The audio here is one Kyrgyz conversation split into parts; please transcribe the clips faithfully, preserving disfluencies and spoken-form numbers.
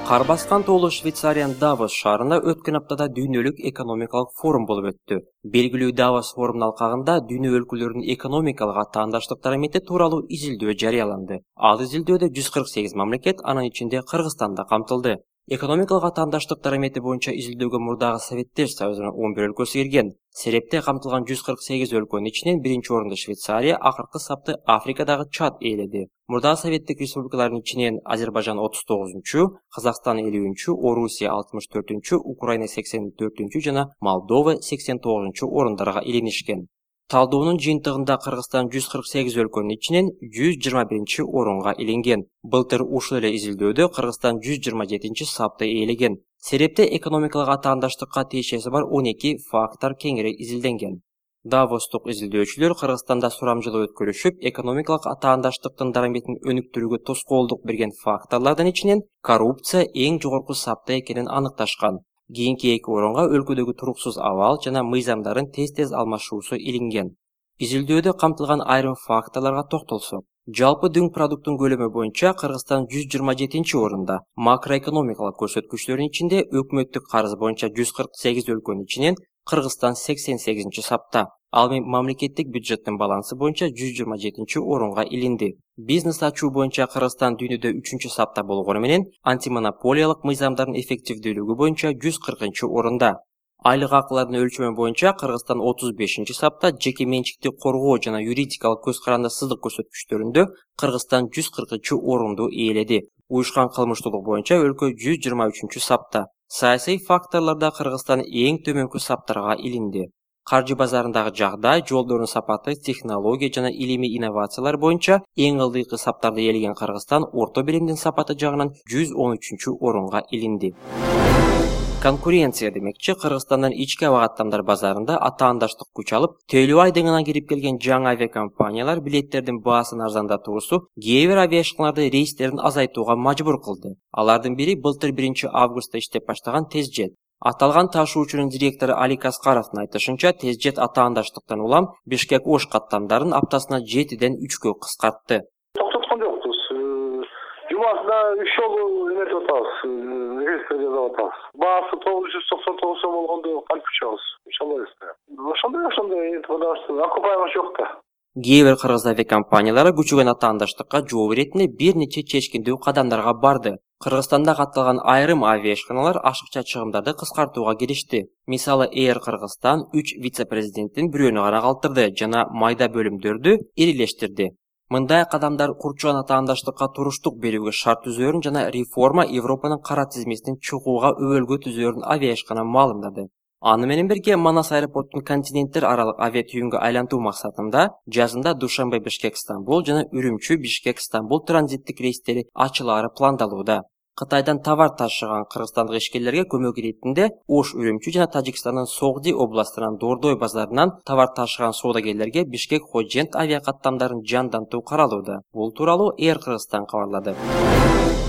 Кар баскан тоолуу Швейцариянын Давос шаарында өткөн аптада дүйнөлүк экономикалык форум болуп өттү. Белгилүү Давос форумунун алкагында дүйнө өлкөлөрүнүн экономикалык атаандаштыктары мети тууралуу изилдөө жарыяланды. Ал изилдөөдө жүз кырк сегиз мамлекет, анын ичинде Кыргызстан да камтылды. Экономикалык атаандаштыктар эмети боюнча изилдөөгө мурдагы Советтер Союзунун он бир өлкөсү кирген. Серепте камтылган жүз кырк сегиз өлкөнүн ичинен биринчи орунду Швейцария, акыркы сапты Африкадагы Чад ээледи. Мурдагы Советтик республикалардын ичинен Азербайжан отуз тогузунчу, Казакстан элүүнчү, Орусия алтымыш төртүнчү, Украина сексен төртүнчү жана Молдова сексен тогузунчу орундарга илинишкен. Талдоонун жыйынтыгында Кыргызстан жүз кырк сегиз өлкөнүн ичинен жүз жыйырма биринчи орунга илинген. Былтыр ушул эле изилдөөдө Кыргызстан жүз жыйырма жетинчи сапты ээлеген. Серепте экономикалык атаандаштыкка тиешеси бар он эки фактор кеңири изилденген. Давостук изилдөөчүлөр Кыргызстанда сурамжылоо өткөрүшүп, экономикалык атаандаштыктын дараметин өнүктүрүүгө тоскоолдук берген факторлордун ичинен коррупция эң жогорку сапта экенин аныкташкан. Кийинки эки орунга өлкөдөгү туруксуз абал жана мыйзамдардын тез-тез алмашуусу илинген. Изилдөөдө камтылган айрым факторлорго токтолсок, жалпы дүң продукттун көлөмү боюнча Кыргызстан жүз жыйырма жетинчи орунда, макроэкономикалык көрсөткүчтөрдүн ичинде өкмөттүк карыз боюнча жүз кырк сегиз өлкөнүн ичинен Кыргызстан сексен сегизинчи сапта. Ал эми мамлекеттик бюджеттин балансы боюнча жүз жыйырма жетинчи орунга илинди. Бизнес ачуу боюнча Кыргызстан дүйнөдө үчүнчү сапта болгону менен антимонополиялык мыйзамдардын эффективдүүлүгү боюнча жүз кыркынчы орунда. Айлык акылардын өлчөмү боюнча Кыргызстан отуз бешинчи сапта, жеке менчикти коргоо жана юридикалык көз карандысыздык көрсөткүчтөрүндө Кыргызстан жүз кыркынчы орунду ээледи. Уюшкан кылмыштуулук боюнча өлкө жүз жыйырма үчүнчү сапта. Саясий факторлордо Кыргызстан эң төмөнкү саптарга илинди. Каржы базарындагы жагдай, жолдордун сапаты, технология жана илимий инновациялар боюнча эң ылдыйкы саптарды ээлеген Кыргызстан орто биримдин сапаты жагынан жүз он үчүнчү орунга илинди. Конкуренция демекчи, Кыргызстандын ички аба каттамдар базарында атаандаштык күч алып, тейлөө айдыңына кирип келген жаңы авиакомпаниялар билеттердин баасын арзандатуусу кээ бир авиашканаларды рейстерин азайтууга мажбур кылды. Алардын бири былтыр биринчи августта иштеп баштаган TezJet. Аталган ташуучунун директору Алик Аскаровдун айтышынча, TezJet атаандаштыктан улам Бишкек-Ош каттамдарын аптасына жетиден үчкө кыскартты. Токтоткон жокпуз. Жумасына үч жолу эметип атабыз, рейстер жасап атабыз. Баасы тогуз жүз токсон тогуз сом болгондо кантип учабыз? Учалбай эсте. Ошондой ошондой окупаемость жок да. Кээ бир кыргыз авиакомпаниялары күчөгөн атаандаштыкка жооп иретине бир нече чечкиндүү кадамдарга барды. Кыргызстанда катталган айрым авиашканалар ашыкча чыгымдарды кыскартууга киришти. Мисалы, Air Кыргызстан үч вице-президенттин бирөөнү гана калтырды жана майда бөлүмдөрдү ирилештирди. Мындай кадамдар курчуган атаандаштыкка туруштук берүүгө шарт түзөөрүн жана реформа Европанын кара тизмесинин чыгууга өбөлгө түзөөрүн авиашкана маалымдады. Аны менен бирге Манас аэропортун континенттер аралык авиатүйүнгө айлантуу максатында жазында Душанбе-Бишкек-Стамбул жана Үрүмчү-Бишкек-Стамбул транзиттик рейстери ачылаары пландалууда. Кытайдан товар ташыган кыргызстандык ишкерлерге көмөк иретинде Ош, Үрүмчү жана Тажикстандын Согди областынан Дордой базарынан товар ташыган соодагерлерге Бишкек-Ходжент авиакаттамдарын жандантуу каралууда. Бул тууралуу Air Кыргызстан кабарлады.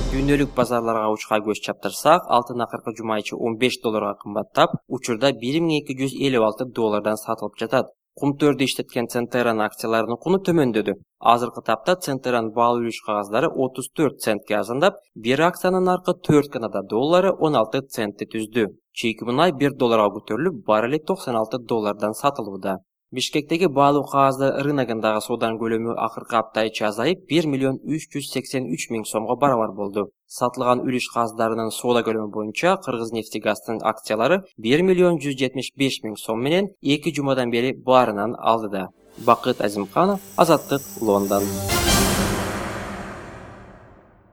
Дүйнөлүк базарларга учка көз чаптырсак, алтын акыркы жума ичи он беш долларга кымбаттап, учурда бир миң эки жүз элүү алты доллардан сатылып жатат. Кумтөрдү иштеткен Центеран акцияларынын куну төмөндөдү. Азыркы тапта Центеран баал үлүш кагаздары отуз төрт центке арзандап, бир акциянын наркы төрт Канада доллары он алты центти түздү. Чийки мунай бир долларга көтөрүлүп, баррели токсон алты доллардан сатылууда. Бишкектеги баалуу кагаздар рыногундагы сооданын көлөмү акыркы апта ичи азайып, бир миллион үч жүз сексен үч миң сомго барабар болду. Сатылган үлүш кагаздарынын соода көлөмү боюнча Кыргызнефтегазтын акциялары бир миллион жүз жетимиш беш миң сом менен эки жумадан бери баарынан алдыда. Бакыт Азимканов, Азаттык, Лондон.